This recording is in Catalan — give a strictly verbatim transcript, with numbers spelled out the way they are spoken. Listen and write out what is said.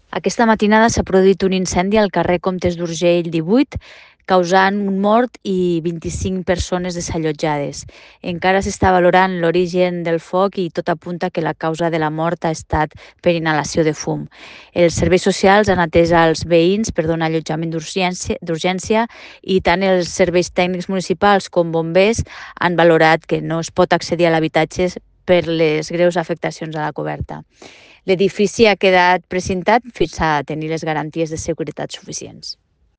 Aquesta matinada s'ha produït un incendi al carrer Comtes d'Urgell divuit, causant un mort i vint-i-cinc persones desallotjades. Encara s'està valorant l'origen del foc i tot apunta que la causa de la mort ha estat per inhalació de fum. Els serveis socials han atès als veïns per donar allotjament d'urgència i tant els serveis tècnics municipals com bombers han valorat que no es pot accedir a l'habitatge per les greus afectacions a la coberta. L'edifici ha quedat precintat fins a tenir les garanties de seguretat suficients.